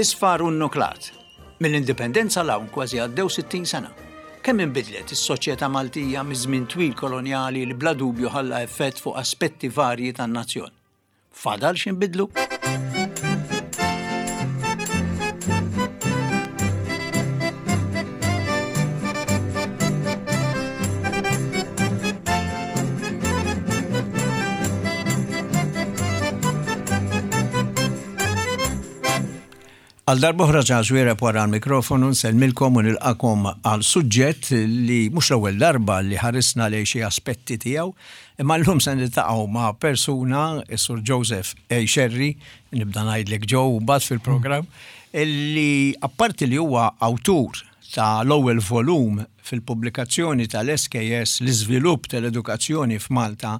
Isfar u nnuklat. Mill-Indipendenza 'l hawn kważi għaddew 60 sena. Kemm inbidlet is-soċjetà Maltija miż-żmien twil kolonjali li bla dubju ħalla effett fuq aspetti varji tan-nazzjon. Fadal x'inbidlu? Għal darb'oħra Charles Xuereb wara l-mikrofonu nsellmilkom u nilqakom għal suġġett li mhux l-ewwel darba li ħarisna lejn xi aspetti tiegħu, imma llum se niltaqgħu ma' persuna, is-Sur Joseph A. Scerri, nibda ngħidlek Joe mbagħad fil-programm, li apparti li huwa awtur ta' l-ewwel volum fil-pubblikazzjoni tal-SKS L-Iżvilupp tal-Edukazzjoni f'Malta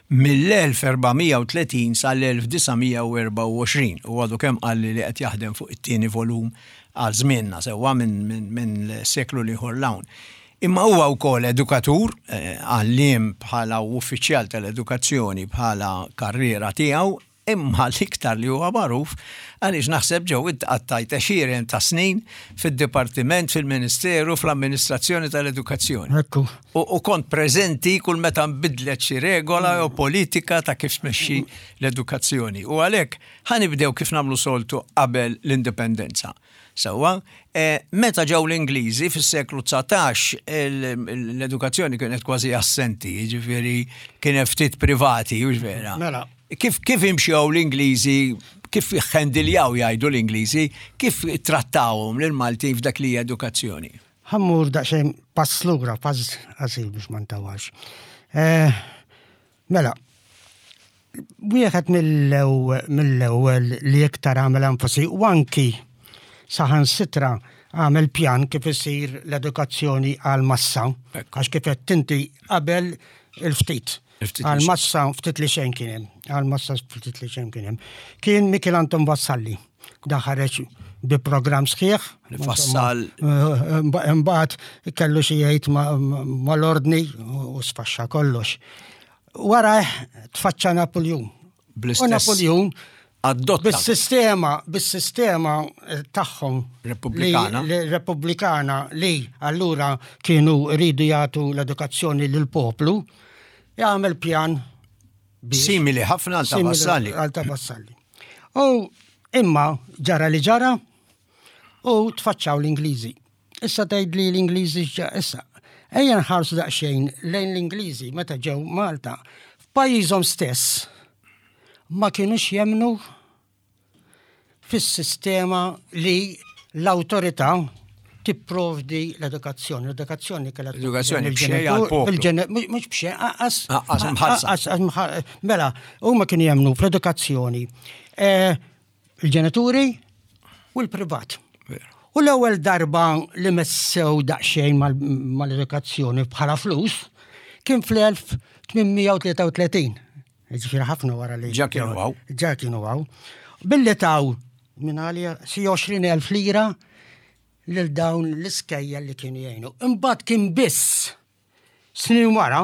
mill-1430 sal-1924 u għadu kemm qalli li qed jaħdem fuq it-tieni volum għal żmienna sewwa minn seklu l-ieħor 'l hawn. Imma huwa wkoll edukatur, għalliem bħala u uffiċjal tal-edukazzjoni bħala karriera tiegħu, Imma l-iktar li huwa magħruf għaliex naħseb Joe int qattajt għexieren ta' snin fid-dipartiment, fil-Ministeru, fl-amministrazzjoni tal-edukazzjoni. Ekku. U kont preżenti kull meta nbidlet xi regola jew politika ta' kif tmexxi l-edukazzjoni. U għalhekk ħa nibdew kif nagħmlu soltu qabel l-Indipendenza. Sewwa, meta ġew l-Ingliżi fis-seklu 19 l-edukazzjoni kienet kważi assenti, jiġifieri kien hemm ftit privati, hux vera? Mela. Kif kif imxew l-Ingliżi, kif ħendiljaw jgħidu l-Ingliżi, kif trattawhom lill-Maltin f'dak li hija edukazzjoni? Ħa mmur daqsxejn pass lura, pass qasir biex ma ntawalx. Eh, mela, wieħed mill-ewwel li iktar għamel enfasi u anki saħansitra għamel pjan kif isir l-edukazzjoni għal massa, għax kif qed inti qabel il-ftit. Għal massa ftit li xejn kien hemm, għal massa ftit li xejn kien hemm. Kien Mikiel Anton Vassalli, da ħareġ bi programm sħiħ. Fassal. Imbagħad kellu xi jgħid mal-ordni u sfaxxa kollox. Wara tfaċċa Napoljun. U Napoljun adotta. Bis-sistema, bis-sistema eh, tagħhom. Repubblikana. Repubblikana li allura kienu rridu jagħtu l-edukazzjoni lill-poplu, jagħmel pjan simili ħafna għal ta' Vassalli. Għal ta' Vassalli. U imma ġara li ġara u tfaċċaw l-Ingliżi. Issa tgħid li l-Ingliżi issa. Ejja nħarsu daqsxejn lejn l-Ingliżi meta ġew Malta. F'pajjiżhom stess ma kinux jemmnu fis-sistema li l-awtorità tipprovdi l-edukazzjoni. L-edukazzjoni kellha L-edukazzjoni b'xejn għall-poplu. Mhux b'xejn, aqas. Aqas mħallsa. Mela, huma kienu jemmnu fl-edukazzjoni. Eh, il-ġenituri u l-privat. U l-ewwel darba li messew daqsxejn mal-edukazzjoni bħala flus kien fl-1833. Ġifieri ħafna wara li. Ġa kienu għaw. Ġa kienu għaw. Billi taw minn għalija xi 20,000 lira lil dawn l-iskejjel li kienu jgħinu. Imbagħad kien biss Snin wara,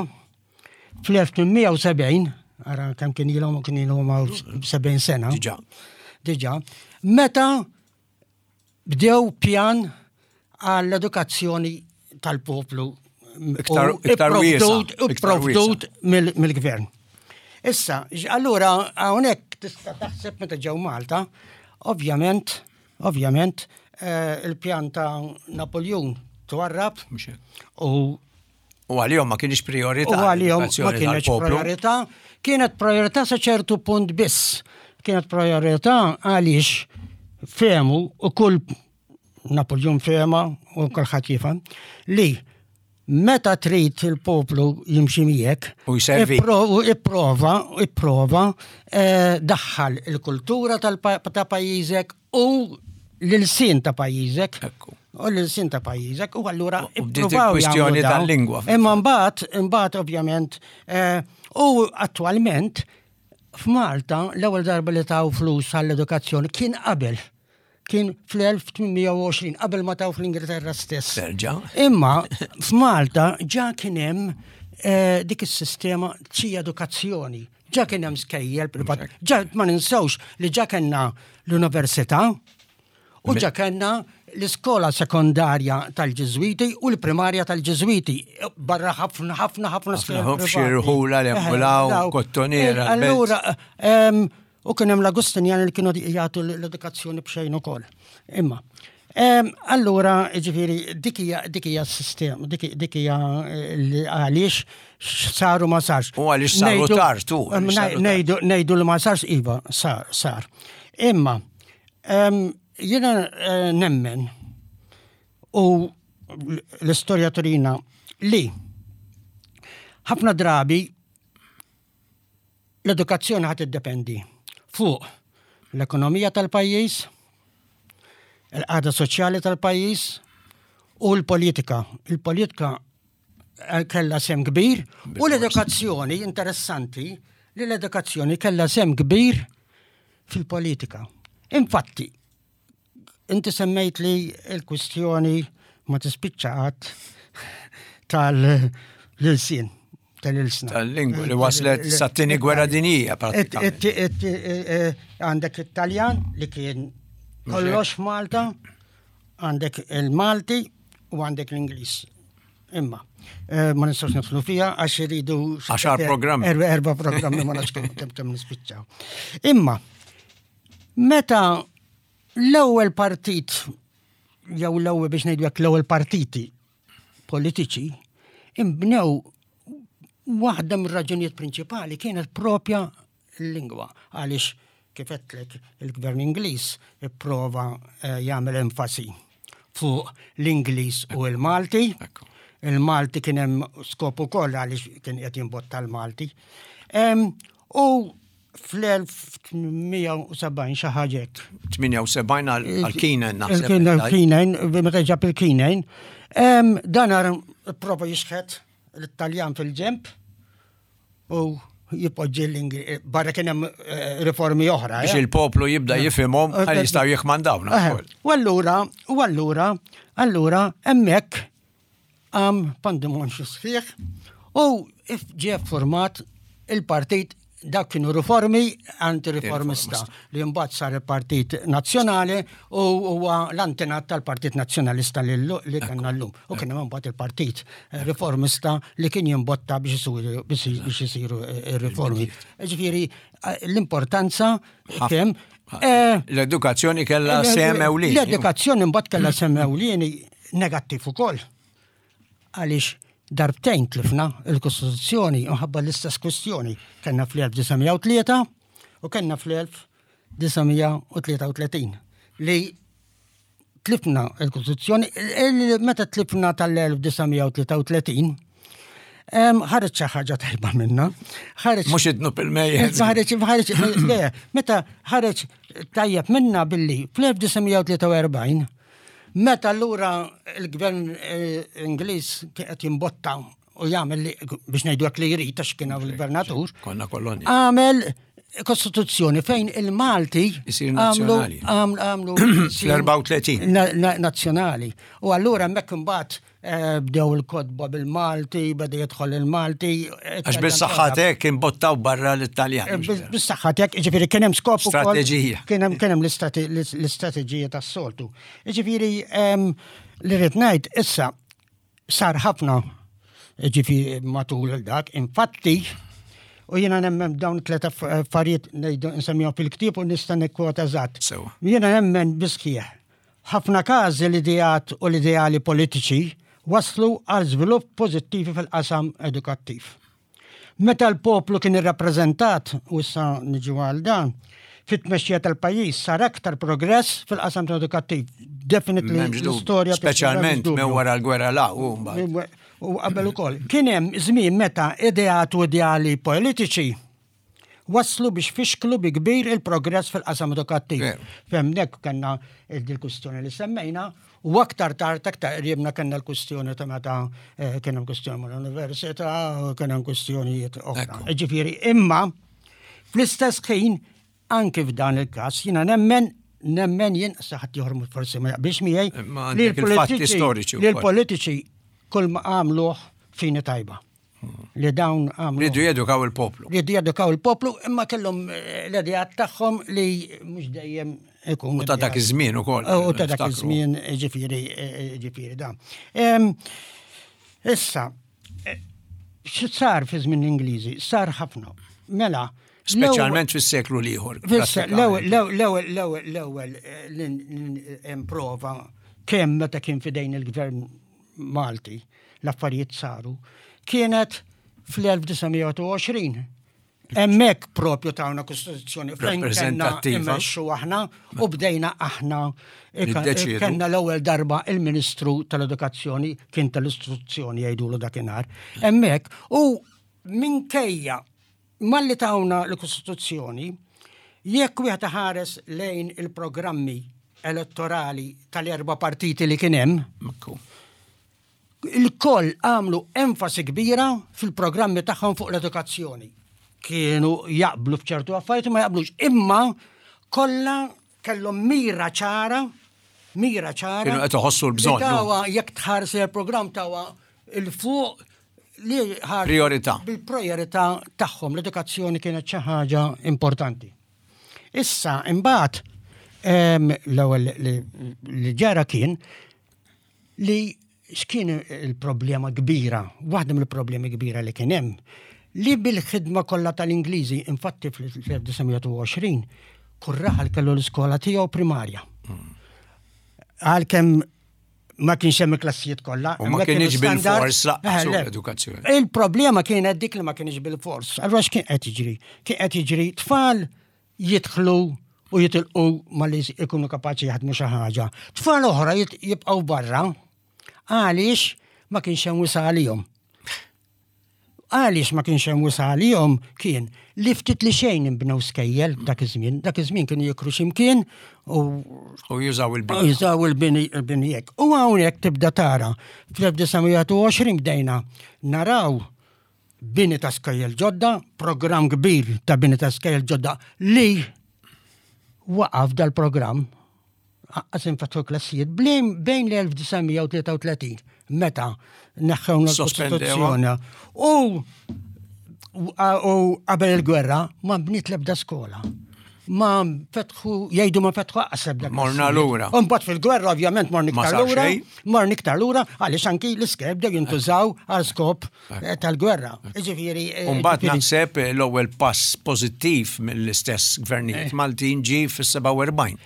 fl-1870, ara kemm kien ilhom kien ilhom 70 sena. Diġà. Diġà. Meta bdew pjan għall-edukazzjoni tal-poplu iktar ipprovdut mill-gvern. Issa, allura hawnhekk tista' taħseb meta ġew Malta, ovvjament Ovvjament, il-pjan ta' Napoljun twarrab u U għalihom ma kienx priorità. U għalihom ma kienx priorità. Kienet priorità sa ċertu punt biss. Kienet priorità għaliex fehmu u kull Napoljun fehma u kulħadd jifhem li Meta trid il-poplu jimxi miegħek, u jservi. Ipprova, ipprova eh, daħħal il-kultura ta' pajjiżek u l-ilsien ta' pajjiżek. U l-ilsien ta' pajjiżek u allura ippruvaw kwistjoni tal-lingwa. Imma mbagħad, imbagħad ovvjament, eh, u attwalment f'Malta l-ewwel darba li taw flus għall-edukazzjoni kien qabel kien fl-1820 qabel ma taw fl-Ingilterra stess. Terġa. Imma f'Malta ġa kien hemm eh, dik is-sistema xi edukazzjoni. Ġa kien hemm skejjel privat. Ġa ma ninsewx li ġa kellna l-università. U ġa kellna l-iskola sekondarja tal-Ġiżwiti u l-primarja tal-Ġiżwiti. Barra ħafna, ħafna, ħafna skola. Xi rħula l-embulaw, kottoniera. Allura, u kien hemm l-Agustinjani li kienu jagħtu l-edukazzjoni b'xejn ukoll. Imma, allura, ġifieri, dik hija s-sistema, dik hija eh, għaliex saru ma sarx. U għaliex saru tard, tu. Ngħidu li ma sarx, iva, sar. Imma, Jiena eh, nemmen u l-istorja turina li ħafna drabi l-edukazzjoni ħat iddependi fuq l-ekonomija tal-pajjiż, il-qagħda soċjali tal-pajjiż u l-politika. Il-politika eh, kellha sem kbir u l-edukazzjoni interessanti li l-edukazzjoni kellha sem kbir fil-politika. Infatti, inti semmejt li l-kwistjoni ma tispiċċa qatt tal-ilsien tal-ilsna. Tal-lingwa li waslet sat-tieni gwerra dinjija pratikament. Eh, għandek it-Taljan li kien kollox f'Malta, għandek il-Malti u għandek l-Ingliż. Imma, eh, ma nistgħux nidħlu fiha għax iridu. Għaxar programmi. Erba programmi ma nafx kemm kemm nispiċċaw. Imma, meta l-ewwel partit jew l-ewwel biex ngħidu hekk l-ewwel partiti politiċi imbnew waħda mir-raġunijiet prinċipali kienet propja l-lingwa għaliex kif għedtlek il-gvern Ingliż ipprova eh, jagħmel enfasi fuq l-Ingliż u l-Malti. Il-Malti kien hemm skop ukoll għaliex kien qed jimbotta l-Malti. U fl-1870 xi ħaġa hekk. 78 għal Kinen naħseb. Il-Kinen, meta ġab il-Kinen. Dan prova jixħet l-Taljan fil-ġemp u jipoġġi l-Ingliż, barra kien hemm eh, riformi oħra. Biex eh. il-poplu jibda eh. jifhimhom għal jistgħu jikmandawna. U allura, u allura, allura hemmhekk għam pandemonju sħiħ u ġie format il-partit dak kienu riformi anti-riformista li mbagħad sar il-Partit Nazzjonali u huwa l-antenat tal-Partit Nazzjonalista li kellna llum. U kien hemm mbagħad il-Partit Riformista li kien jimbotta biex isiru riformi. Ġifieri eh, l-importanza kemm eh, L-edukazzjoni kellha sehem ewlieni. L-edukazzjoni mbagħad kellha sehem ewlieni negattiv ukoll. Għaliex darbtejn tlifna il-Kostituzzjoni minħabba l-istess kwistjoni. Kellna fl-1903 u kellna fl-1933 li tlifna il-Kostituzzjoni, meta tlifna tal-1933, ħareġ xi ħaġa tajba minna. Ħareġ. Mhux idnub il-mejjet. Ħareġ, ħareġ, le, meta ħareġ tajjeb minna billi fl-1943 Meta allura l-gvern eh, Ingliż qed jimbotta u jagħmel li biex ngħidu hekk li jrid għax kien hawn il-gvernatur. Konna kolonja. Għamel kostituzzjoni fejn il-Malti għamlu għamlu fl-34 nazzjonali. U allura hemmhekk imbagħad Eh, bdew il-kotba bil-Malti, beda jidħol il-Malti. Eh, Għax bis-saħħa tek imbottaw barra l-Italjan. Eh, bis-saħħa tek, ġifieri kien hemm skop Strateġija. Kien hemm kien hemm l-istrateġija tas-soltu. Ġifieri li rrid ngħid issa sar ħafna ġifieri matul dak, infatti U jiena nemmen dawn tlet affarijiet ngħidu nsemmihom fil-ktieb u nista' nikkwota eżatt. Jiena nemmen bisħieħ F'ħafna każi l-ideat u l-ideali politiċi wasslu għal żvilupp pożittivi fil-qasam edukattiv. Meta l-poplu kien irrappreżentat, u issa niġu għal dan, fit-tmexxija tal-pajjiż sar aktar progress fil-qasam edukattiv. Definitely l-istorja. Speċjalment minn wara l-gwerra la u mbagħad. U qabel ukoll. Kien hemm żmien meta ideat u ideali politiċi wasslu biex fixklu bi kbir il-progress fil-qasam edukattiv. F'hemmhekk kellna il-kwistjoni li semmejna u aktar tard aktar qribna kellna l-kwistjoni ta' meta eh, kien hemm kwistjoni mal-università u kien hemm kwistjonijiet oħra. Ġifieri imma fl-istess ħin anki f'dan il-każ jiena nemmen nemmen jien saħat ieħor forsi ma jaqbilx miegħi li l-politiċi li l-politiċi kull ma għamluh fini tajba. Li dawn għamlu. Ridu jedukaw il-poplu. Ridu jedukaw il-poplu, imma kellhom eh, l-idejat tagħhom li mhux dejjem ikun. U ta' dak iż-żmien ukoll. U ta' dak iż-żmien ġifieri ġifieri da. Issa, x'sar fi żmien l-Ingliżi? Sar ħafna. Mela, Speċjalment fis-seklu l-ieħor. L-ewwel l-ewwel l-ewwel prova kemm meta kien fidejn il-gvern Malti l-affarijiet saru kienet fl-1920 Hemmhekk propju tawna kostituzzjoni fejn kellna immexxu aħna u bdejna aħna kellna l-ewwel darba il-Ministru tal-Edukazzjoni kien tal-Istruzzjoni jgħidulu dakinhar. Hemmhekk u minkejja malli tawna l-Kostituzzjoni, jekk wieħed ħares lejn il-programmi elettorali tal-erba' partiti li kien hemm, Il-koll għamlu enfasi kbira fil-programmi tagħhom fuq l-edukazzjoni. Kienu jaqblu f'ċertu affarijiet u ma jaqblux, imma kollha kellhom mira ċara, mira ċara. Kienu qed iħossu l-bżonn. Tawa jekk tħares il-programm tawa il-fuq li ħar. Priorità. Bil-priorità tagħhom l-edukazzjoni kienet xi ħaġa importanti. Issa imbagħad l-ewwel li ġara kien li x'kien il-problema kbira, waħda mill-problemi kbira li kien hemm, li bil-ħidma kollha tal-Ingliżi, infatti fl-1920, kull raħal kellu l-iskola tiegħu primarja. Għalkemm ma kienx hemm il-klassijiet kollha. U ma kienx bil-fors laqqas l-edukazzjoni. Il-problema kienet dik li ma kienx bil-fors. Allura x'kien qed jiġri? Kien qed jiġri tfal jidħlu u jitilqu malli jkunu kapaċi jaħdmu xi ħaġa. Tfal oħra jibqgħu barra għaliex ma kienx hemm wisa għalihom. Għaliex ma kienx hemm wisa għalihom kien li ftit li xejn inbnew skejjel dak iż-żmien, dak iż-żmien kienu jikru x'imkien u u jużaw il-bini. Jużaw il-bini il-bini hekk. U hawnhekk tibda tara fl-1920 bdejna naraw bini ta' skejjel ġodda, programm kbir ta' bini ta' skejjel ġodda li waqaf dal-programm aqqas infetħu klassijiet bejn l-1933 meta neħħewna l-Kostituzzjoni u u qabel il-gwerra ma bniet l-ebda skola. Ma fetħu, jgħidu ma fetħu aqqas ebda. Morna lura. Mbagħad fil-gwerra ovvjament morna iktar lura. Morna iktar lura għaliex anki l-iskeb bdew jintużaw għal skop eh, tal-gwerra. Ġifieri. Eh, Mbagħad naħseb eh, l-ewwel pass pożittiv mill-istess gvernijiet Maltin ġie fis-47.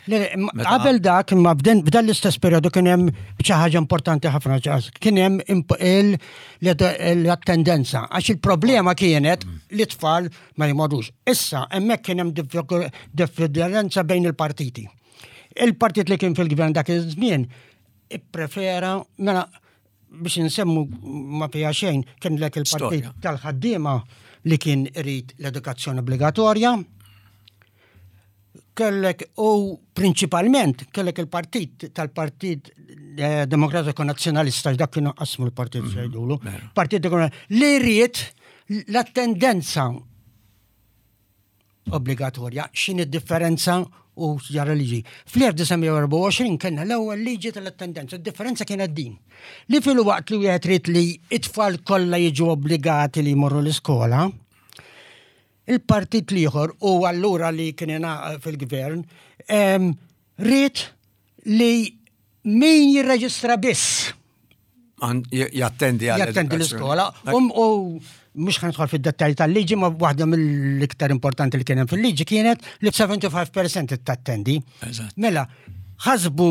Qabel dak imma b'dan l-istess periodu kien hemm xi ħaġa importanti ħafna kien hemm l-attendenza għax il-problema kienet mm. li tfal ma jmorrux. Issa hemmhekk kien hemm differenza bejn il-partiti. Il-partit li kien fil-gvern dak iż-żmien ipprefera mela biex insemmu ma fiha xejn kien lek il-partit tal-ħaddiema li kien irid l-edukazzjoni obbligatorja. Kellek u prinċipalment kellek il-partit tal-Partit eh, Demokratiku Nazzjonalista dak kienu qasmu l-partit mhm, jgħidulu. Partit li rrid l-attendenza obbligatorja, x'inhi d-differenza u ġara liġi. Fl-1924 kellna l-ewwel liġi tal-attendenza, d-differenza kienet din. Li fil-waqt li wieħed trid li it-tfal kollha jiġu obbligati li jmorru l-iskola, il-partit l-ieħor u allura li kien fil-gvern ried li min jirreġistra biss. Jattendi għal. Jattendi l-iskola. Um, u mhux ħan nidħol fid-dettalji tal-liġi, ma waħda mill-iktar importanti li kien hemm fil-liġi kienet li 75% tattendi. Mela, ħasbu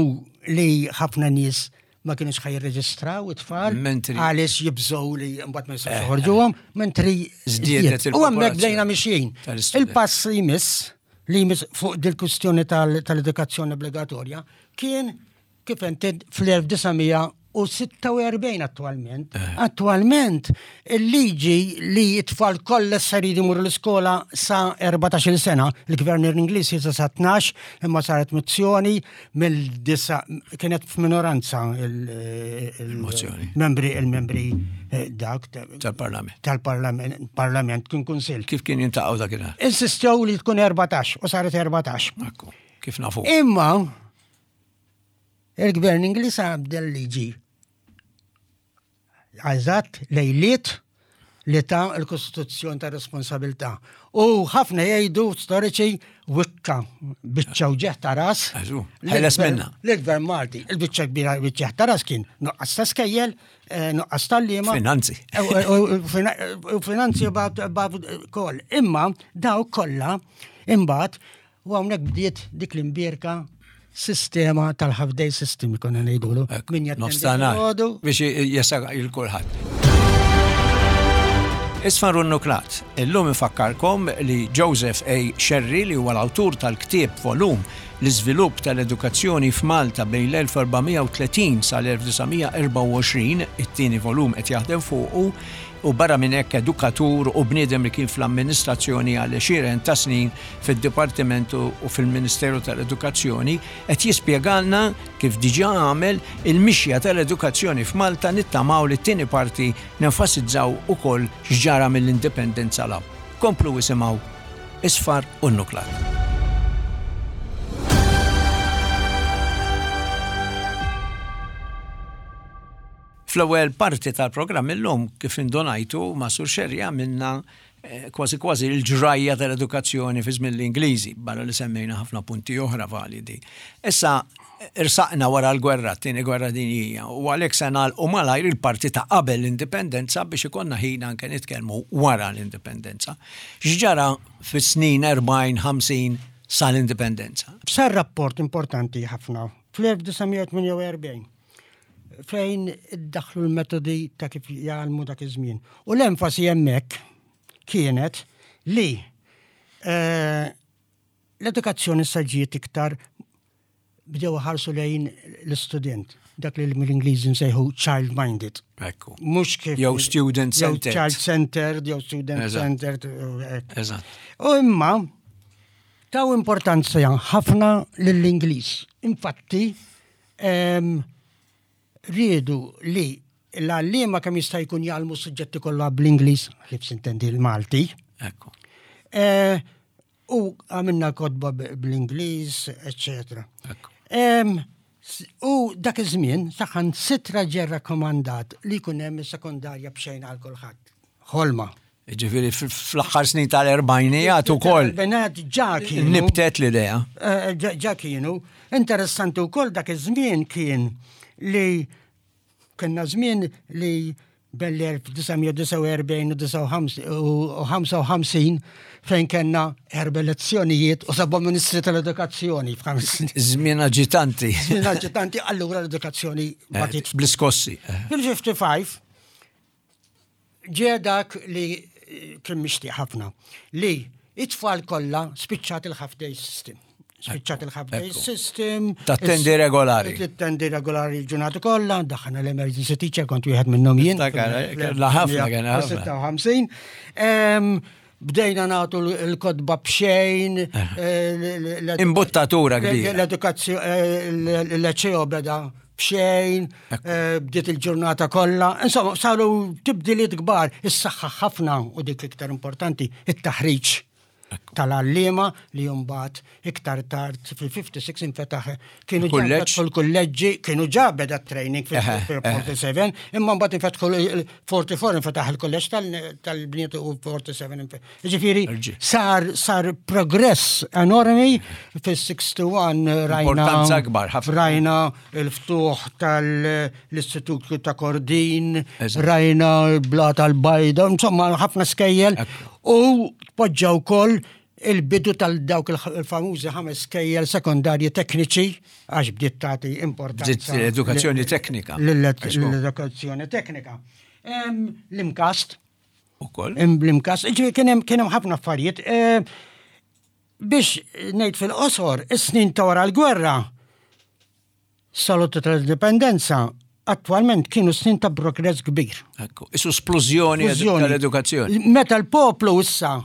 li ħafna nies ma kienux ħaj jirreġistraw it-tfal għaliex jibżgħu li mbagħad ma jistgħux eh, joħorġuhom, mentri żdiedet U hemmhekk bdejna mixjin. Il-pass li jmiss li jmiss fuq dil-kwistjoni tal-edukazzjoni obbligatorja kien kif inti fl-1946 attualment. Eh. Attualment il-liġi li t-tfal kollha sa jridu jmorru l-iskola sa 14-il sena, il-gvern Ingliż jisa sa 12, imma saret mozzjoni mill-disa kienet f'minoranza il-mozzjoni. Membri il-membri eh, dak tal-parlament. Tal-parlament parlament kien kunsill. Kif kien jintaqgħu dakinhar? Insistew li tkun 14 u saret 14. Ekku, kif nafu. Imma il-gvern Ingliż għabdel liġi. Eżatt lejliet li ta l-Kostituzzjoni ta' responsabilità. U ħafna jgħidu storiċi wikka biċċa uġigħ ta' ras. Ħeles minna. L-gvern Malti, il-biċċa kbira uġigħ ta' ras kien nuqqas ta' skejjel, eh, nuqqas tal-liema. Finanzi. Eh, u finanzi kol. Imma daw kollha imbagħad U hawnhekk bdiet dik l-imbierka sistema tal-half day system konna ngħidulu. Min jattendi biex jesa il kulħadd. Isfar Nuklat, illum infakkarkom li Joseph A. Scerri li huwa l-awtur tal-ktieb volum l-iżvilupp tal-edukazzjoni f'Malta bejn l-1430 sal-1924, it-tieni volum qed jaħdem fuqu, u barra minn hekk edukatur u bniedem li kien fl-amministrazzjoni għal għexieren ta' snin fid-Dipartiment u fil-Ministeru tal-Edukazzjoni, qed jispjegalna kif diġà għamel il-mixja tal-edukazzjoni f'Malta nittamaw li t-tieni parti nenfasizzaw ukoll x'ġara mill-Indipendenza 'l hawn. Komplu isimgħu Isfar u Nnuklat. Fl-ewwel parti tal-programm illum, kif indunajtu, ma' Sur Scerri għamilna eh, kważi kważi l-ġrajja tal-edukazzjoni fi żmien l-Ingliżi, barra li semmejna ħafna punti oħra validi. Issa irsaqna wara l-gwerra, t-tieni gwerra dinjija, u għalhekk se nagħlqu malajr il-parti ta' qabel l-indipendenza biex ikollna ħin anke nitkellmu wara l-indipendenza. X'ġara fis-snin 40-50 sal-indipendenza? Sar rapport importanti ħafna fl-1948 fejn iddaħħlu l-metodi ta' kif jgħallmu dak iż-żmien. U l-enfasi hemmhekk kienet li eh, l-edukazzjoni sa ġiet iktar bdew ħarsu lejn l-istudent, dak li mill-Ingliżi nsejħu child-minded. Ekku. Mhux kif. Jew student centered. Child centered, jew student centered. Eżatt. U imma taw importanza ħafna lill-Ingliż. Infatti, Riedu li l-għalliema kemm jista' jkun jgħallmu s-suġġetti kollha bl-Ingliż, ħlief sintendi l-Malti. Ekku. Eh, u għamilna kotba bl-Ingliż, eccetera. U dak iż-żmien saħan sitra ġie rakkomandat li jkun hemm is-sekondarja b'xejn għal kulħadd. Ħolma. Ġifiri, fl-axħar snin tal-erbajnijat u koll. Erbajnijat ġa kienu. Nibtet l-idea. Eh, ġa kienu. Interessanti u koll dak iż-żmien kien li kienna żmien li bell-1949 u 55 fejn kellna erba' elezzjonijiet u seba' ministri tal-edukazzjoni f'ħames snin. Żmien aġitanti. Żmien aġitanti, allura l-edukazzjoni eh, batit. Bl-iskossi. Fil-55 Ġie dak li kien mixtieq ħafna, li it-tfal kollha spiċċat il-half day system. Spiċċat il-half day system. Tattendi regolari. Tattendi regolari l-ġurnata kollha, daħna l-emergency teacher kont wieħed minnhom jien. La ħafna kien ħafna. 56. Bdejna nagħtu l-kotba b'xejn. Eh. Imbuttatura kbira. L-edukazzjoni, eh, l-ċeo beda b'xejn, eh, bdiet il-ġurnata kollha. Insomma, saru tibdiliet kbar, is-saħħa ħafna u dik iktar importanti, it-taħriġ tal-għalliema li jumbat iktar tard fil-56 infetaħ kienu ġa l-kulleġġi kienu ġa beda training fil-47 imma mbagħad infetħu l-44 infetaħ il-kulleġġ tal-bniet u 47 Ġifieri sar sar progress enormi fis-61 rajna akbar rajna il-ftuħ tal-Istitut ta' Kordin, rajna l-Bla tal-Bajda, insomma ħafna skejjel u poġġa wkoll il-bidu tal-dawk il-famużi ħames skejjel sekondarji tekniċi għax bdiet tagħti importanza. Bdiet l-edukazzjoni teknika. L-edukazzjoni teknika. L-imkast. Ukoll. L-imkast. Ġifieri kien hemm ħafna affarijiet. Eh, biex ngħid fil-qosor, is-snin ta' wara l-gwerra Salutu tal-indipendenza attwalment kienu snin ta' progress kbir. Ekku, isu splużjoni tal-edukazzjoni. Meta l-poplu issa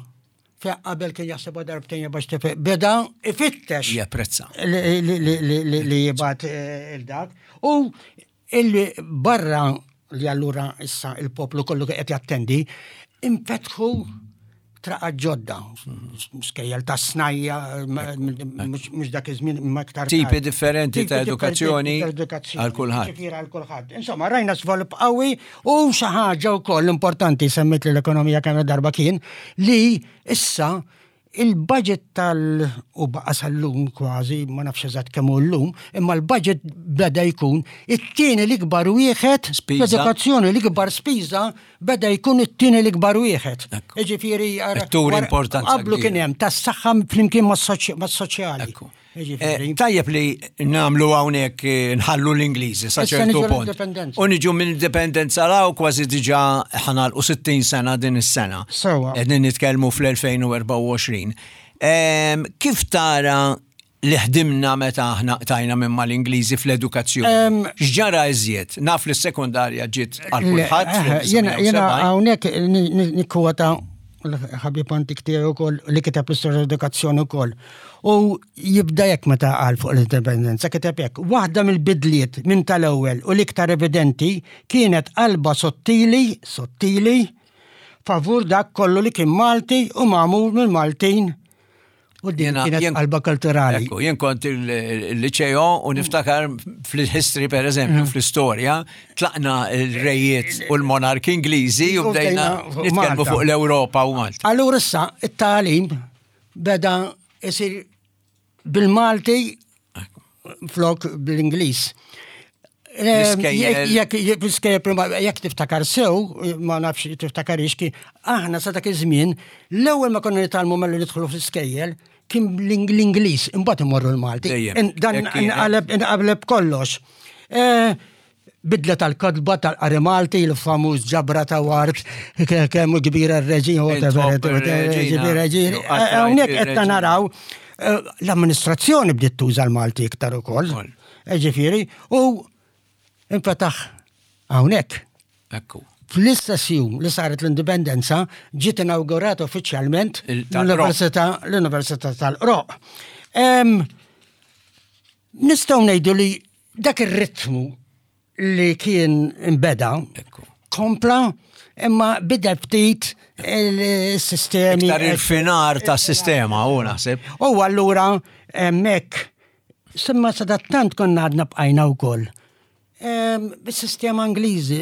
fe qabel kien jaħseb darbtejn bax tefe, beda ifittex. Japprezza. Li jibgħat eh, il-dak. U il-barra li allura issa il-poplu kollu qed jattendi, infetħu Traqat ġodda, skejjel ta' snajja, mhux dak iż-żmien imma iktar. Tipi differenti ta' edukazzjoni għal kulħadd. Ġifieri għal kulħadd. Insomma, rajna żvilupp qawwi u xi ħaġa wkoll importanti semmit li l-ekonomija kemm darba kien li issa il-budget tal u baqa sal-lum kważi, ma nafx eżatt kemm hu llum, imma l-budget beda jkun it-tieni l-ikbar wieħed l-edukazzjoni l-ikbar spiża beda jkun it-tieni l-ikbar wieħed. Jiġifieri Turi importanza. Qablu kien hemm tas-saħħa flimkien mas-soċjali. Eh, tajjeb li namlu hawnhekk eh, nħallu l-Ingliżi sa ċertu punt. U niġu minn indipendenza law kważi diġà ħanalqu 60 sena din is-sena. Sewa. Qegħdin nitkellmu fl-2024. Ehm, kif tara li ħdimna meta aħna qtajna minn mal-Ingliżi fl-edukazzjoni. X'ġara iżjed? Naf li s-sekondarja ġiet għal kulħadd. Eh, jiena hawnhekk nikkwota l-ħabib antik tiegħi wkoll li kiteb l-istorja edukazzjoni wkoll. U jibda jekk meta qal fuq l-indipendenza kiteb hekk. Waħda mill-bidliet minn tal-ewwel u l-iktar evidenti kienet qalba sottili, sottili, favur dak kollu li kien Malti u magħmul mill-Maltin U din kienet qalba kulturali. Ekku, jien kont il-liceo u niftakar fil-history per eżempju, mm. fl-istorja, tlaqna l-rejiet u l-monarki Ingliżi u bdejna nitkellmu fuq l-Ewropa u Malta. Allura issa it-tagħlim beda isir bil-Malti flok bl-Ingliż. Jekk tiftakar sew, ma nafx tiftakar ixki, aħna sa dak iż-żmien, l-ewwel ma konna nitgħallmu malli nidħlu fl-iskejjel, kien l-Ingliż, imbagħad imorru l-Malti. Dan inqaleb kollox. Eh, bidla tal-kotba tal-qari Malti, il-famuż ġabra ta' wart, kemm kbira r-reġin, whatever, reġin. Hawnhekk qed naraw eh, l-amministrazzjoni bdiet tuża l-Malti iktar ukoll. Eh, ġifieri, u infetaħ hawnhekk. Ekku. Fl-istess jum li saret l-indipendenza ġiet inawgurata uffiċjalment l-Università l-Università tal-Qroq. Nistgħu ngħidu li dak ir-ritmu li kien imbeda kompla imma bidel ftit il-sistemi. Iktar il-finar ta' sistema u naħseb. U allura hemmhekk semma sadattant konna għadna bqajna wkoll. Bis-sistema Ingliżi,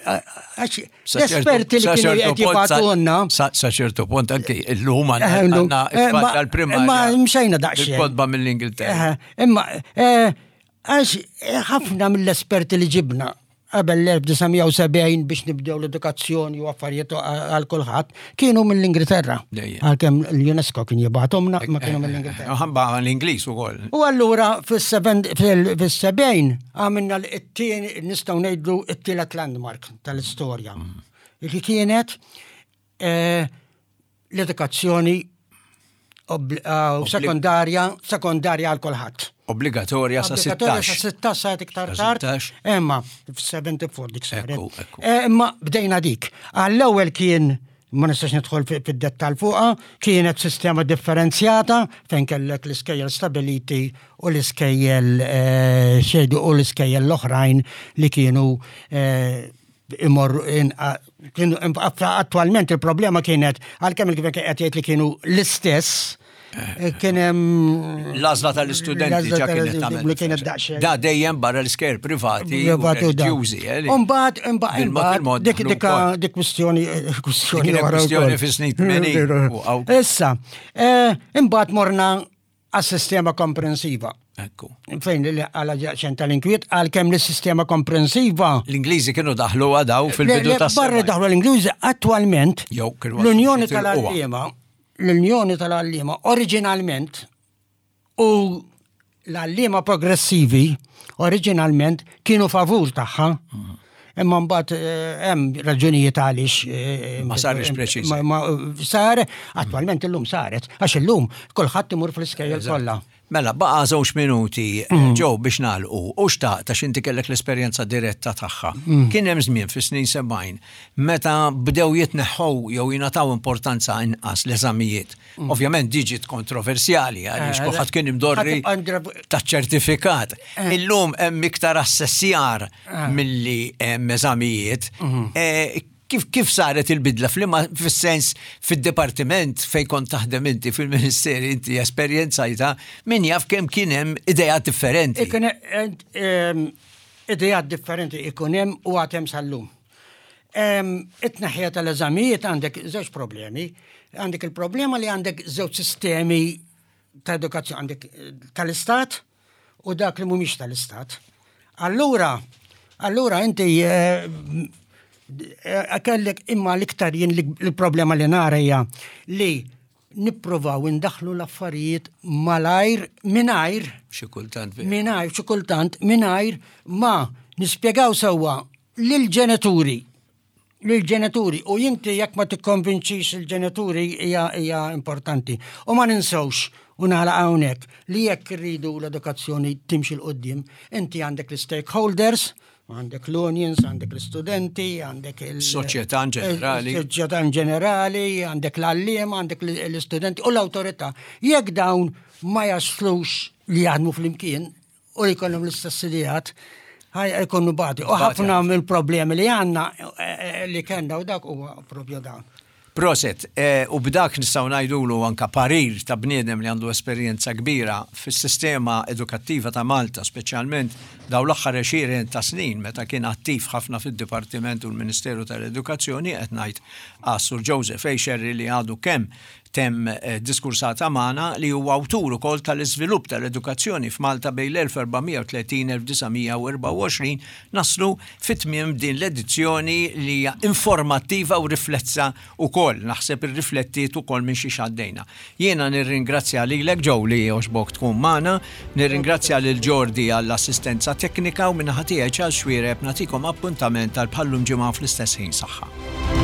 għax l-esperti li kienu qed jibgħatulna. Sa ċertu punt anki llum għandna tal-primarja. Ma mxejna daqsxejn. Il-kotba mill-Ingilterra. Imma Għax ħafna mill-esperti li ġibna qabel l-1970 biex nibdew l-edukazzjoni u affarijiet għal kulħadd kienu mill-Ingilterra. Għalkemm l-UNESCO kien jibgħathomna ma kienu mill-Ingilterra. Ħabba l-Ingliż ukoll. U allura fis-70 għamilna l-tieni nistgħu ngħidu t-tielet landmark tal-istorja. Mm. Li kienet eh, l-edukazzjoni eh, sekondarja, sekondarja għal kulħadd. Obbligatorja sa 16. Sa 16 sa iktar tard. Imma f-74 dik saret. Eh, imma bdejna dik. Għall-ewwel kien ma nistax nidħol fid-dettal fuqha, kienet sistema differenzjata fejn kellek l-iskejjel stabiliti u l-iskejjel eh, xejdu u l-iskejjel l-oħrajn li kienu imorru kienu attualment il-problema kienet għalkemm il-gvern kien qed jgħid li kienu l-istess eh, kien hemm l-għażla tal-istudenti ġa kienet tagħmel. Li kienet daqsxejn. Da dejjem barra l-iskejjel privati u reliġjużi. Eh, Umbagħad imbagħad dik dik dik kwistjoni eh, kwistjoni kwistjoni fis-snin 80. Issa, imbagħad morna għas-sistema komprensiva. Ekku. Fejn li għala ġaqxen tal-inkwiet, għal kemm l-sistema komprensiva. L-Ingliżi kienu daħlu għadaw fil-bidu ta' Barra daħlu l-Ingliżi, attualment, l-Unjoni tal-Għalliema, l-Unjoni tal-Għalliema, oriġinalment, u l-għalliema progressivi, oriġinalment, kienu favur tagħha. Mm. Imma mbagħad eh, hemm raġunijiet għaliex. Eh, ma sarx preċiż. Sar, attwalment illum saret, għax illum kulħadd imur fl-iskejjel kollha. Mela, baqa żewġ minuti eh, mm. ġew biex nagħlqu u xtaqt għax inti kellek l-esperjenza diretta tagħha. Mm. Kien hemm żmien fis-snin 70 meta bdew jitneħħu jew jingħataw importanza inqas l-eżamijiet. Mm. Ovvjament diġit kontroversjali għaliex eh, kulħadd kien imdorri taċ-ċertifikat. Eh. Illum hemm iktar assessjar ah. milli hemm eżamijiet. Mhm. Kif kif saret il-bidla f'liema fis-sens fid-dipartiment fejn kont taħdem inti fil-Ministeri inti esperjenzajtha min jaf kemm kien hemm ideat differenti. Ikun ideat differenti ikun hemm u għad hemm sal-lum. It-tneħħija tal-eżamijiet għandek żewġ problemi. Għandek il-problema li għandek żewġ sistemi ta' edukazzjoni għandek tal-istat u dak li mhumiex tal-istat. Allura, allura inti eh, eh, kellek imma l-iktar jien l-problema li nara hija li nippruvaw indaħlu l-affarijiet malajr mingħajr xi kultant mingħajr xi kultant mingħajr ma nispjegaw sewwa lill-ġenituri lill-ġenituri u inti jekk ma tikkonvinċix il-ġenituri hija hija importanti. U ma ninsewx u nagħlaq hawnhekk li jekk irridu l-edukazzjoni timxi 'l quddiem, inti għandek l-stakeholders, għandek l-unions, għandek l-istudenti, għandek il-soċjetà in ġenerali. Soċjetà in ġenerali, għandek l-għalliem, għandek l-istudenti u l-awtorità. Jekk dawn ma jaslux li jaħdmu flimkien u li jkollhom l-istess ideat, ħaj jkunu bati. U ħafna mill-problemi li għandna eh, eh, li kellna u dak huwa propju dawn. Proset, eh, u b'dak nistgħu ngħidulu anka parir ta' bniedem li għandu esperjenza kbira fis-sistema edukattiva ta' Malta, speċjalment daw l-aħħar għexieren ta' snin meta kien attiv ħafna fid-Dipartiment u l-Ministeru tal-Edukazzjoni qed ngħid għas-Sur Joseph A. Scerri li għadu kemm temm diskursata magħna li huwa awtur ukoll tal-iżvilupp tal-edukazzjoni f'Malta bejn l-1430-1924 naslu fi tmiem din l-edizzjoni li hija informattiva u riflessa wkoll, naħseb irriflettiet ukoll minn xiex għaddejna. Jiena nirringrazzja lilek Joe li għoġbok tkun magħna, nirringrazzja lil Jordi għall-assistenza teknika u min-naħa tiegħi Charles Xuereb nagħtikom appuntament għal bħal-lum ġimgħa fl-istess ħin. Saħħa.